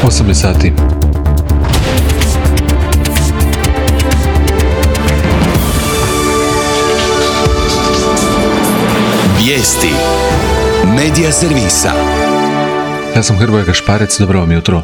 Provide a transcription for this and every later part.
8 sati. Vijesti Medija servisa. Ja sam Hrvoje Gašparec, dobro vam jutro.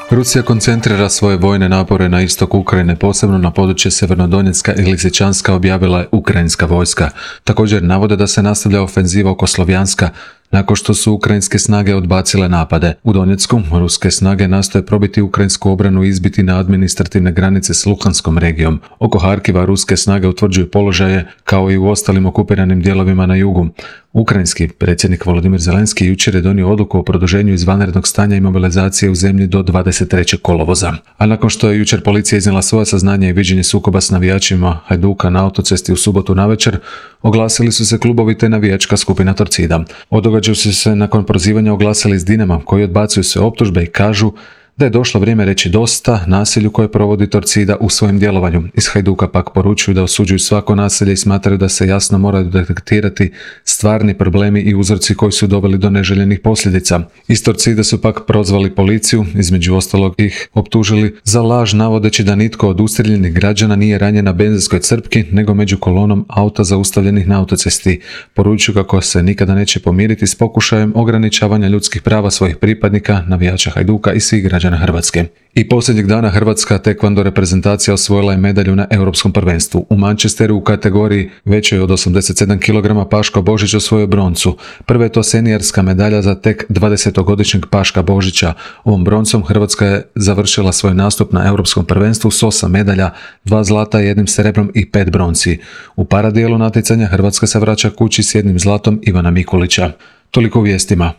Rusija koncentrira svoje vojne napore na istok Ukrajine, posebno na područje Sjevernodonjecka i Lisičanska, objavila je ukrajinska vojska. Također navode da se nastavlja ofenziva oko Slovjanska, nakon što su ukrajinske snage odbacile napade. U Donjecku ruske snage nastoje probiti ukrajinsku obranu i izbiti na administrativne granice s Luhanskom regijom. Oko Harkiva ruske snage utvrđuju položaje kao i u ostalim okupiranim dijelovima na jugu. Ukrajinski predsjednik Volodymyr Zelenski jučer je donio odluku o produženju izvanrednog stanja i mobilizacije u zemlji do 23. kolovoza. A nakon što je jučer policija iznijela svoja saznanja i viđenje sukoba s navijačima Hajduka na autocesti u subotu navečer, oglasili su se klubovi te navijačka skupina Torcida. O događaju su se nakon prozivanja oglasili iz Dinama, koji odbacuju sve optužbe i kažu da je došlo vrijeme reći dosta nasilju koje provodi Torcida u svojem djelovanju. Iz Hajduka pak poručuju da osuđuju svako nasilje i smatraju da se jasno moraju detektirati stvarni problemi i uzroci koji su doveli do neželjenih posljedica. Iz Torcida su pak prozvali policiju, između ostalog ih optužili za laž navodeći da nitko od ustrijeljenih građana nije ranjen na benzinskoj crpki, nego među kolonom auta zaustavljenih na autocesti. Poručuju kako se nikada neće pomiriti s pokušajem ograničavanja ljudskih prava svojih pripadnika, navijača Hajduka i svih građana Hrvatske. I posljednjeg dana hrvatska tekvando reprezentacija osvojila je medalju na Europskom prvenstvu. U Manchesteru u kategoriji većoj od 87 kg Paško Božić osvojio broncu. Prva je to seniorska medalja za tek 20-godišnjeg Paška Božića. Ovom broncom Hrvatska je završila svoj nastup na Europskom prvenstvu s 8 medalja, 2 zlata, 1 srebrom i 5 bronci. U paradijelu natjecanja Hrvatska se vraća kući s 1 zlatom Ivana Mikulića. Toliko u vijestima.